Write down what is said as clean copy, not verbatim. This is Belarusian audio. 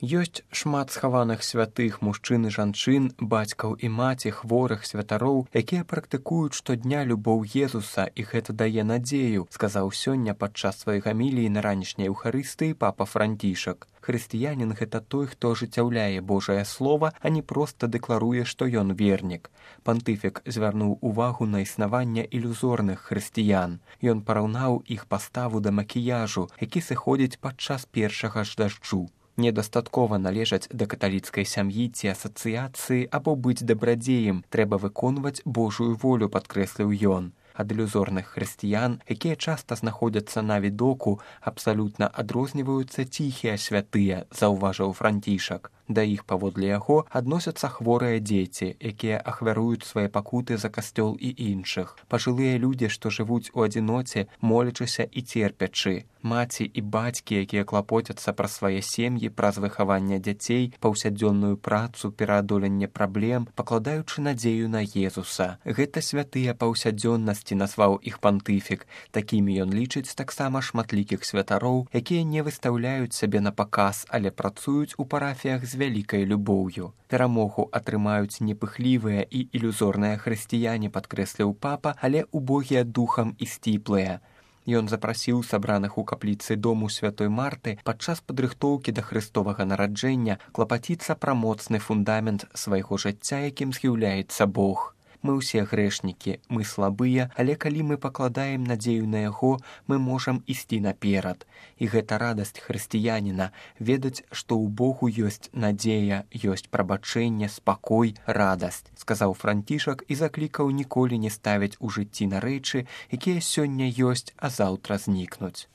Ёсць шмат схаваных святых мужчын і жанчын, бацькаў і маці, хворых, святароў, якія практыкуюць штодня любоў Езуса, і гэта дае надзею, сказаў сёння падчас сваёй гаміліі на ранішняй Еўхарыстыі папа Францішак. Хрысціянін – гэта той, хто ажыццяўляе Божае Слова, а не проста дэкларуе, што ён вернік. Пантыфік звярнуў увагу на існаванне ілюзорных хрысціян. Ён параўнаў іх паставу да макіяжу, які сыходзіць падчас першага ж дажджу. Недастаткова належаць да каталіцкай сям'і ці асацыяцыі або быць дабрадзеем, трэба выконваць Божую волю, падкрэсліў ён. Ад ілюзорных хрысціян, якія часта знаходзяцца на відоку, абсалютна адрозніваюцца ціхія святыя, заўважыў Францішак. Да іх, паводле яго, адносяцца хворыя дзеці, якія ахвяруюць свае пакуты за касцёл і іншых, пажылыя людзі, што жывуць у адзіноце, молячыся і церпячы, маці і бацькі, якія клапоцяцца пра свае сем'і, праз выхаванне дзяцей, паўсядзённую працу, пераадоленне праблем, пакладаючы надзею на Езуса. Гэта святыя паўсядзённасці, назваў іх пантыфік. Такімі ён лічыць таксама шматлікіх святароў, якія не выстаўляюць сябе на паказ, але працуюць у парафіях з вялікай любоўю. Перамогу атрымаюць непыхлівыя і ілюзорныя хрысціяне, падкрэсліў папа, але убогія духам і сціплыя. Ён запрасіў сабраных у капліцы дому святой Марты падчас падрыхтоўкі да Хрыстовага нараджэння клапаціцца пра моцны фундамент свайго жыцця, якім з'яўляецца Бог. Мы ўсе грэшнікі, мы слабыя, але калі мы пакладаем надзею на яго, мы можам ісці наперад. І гэта радасць хрысціяніна, ведаць, што ў Богу ёсць надзея, ёсць прабачэнне, спакой, радасць, сказаў Францішак і заклікаў ніколі не ставіць у жыцці на рэчы, якія сёння ёсць, а заўтра знікнуць.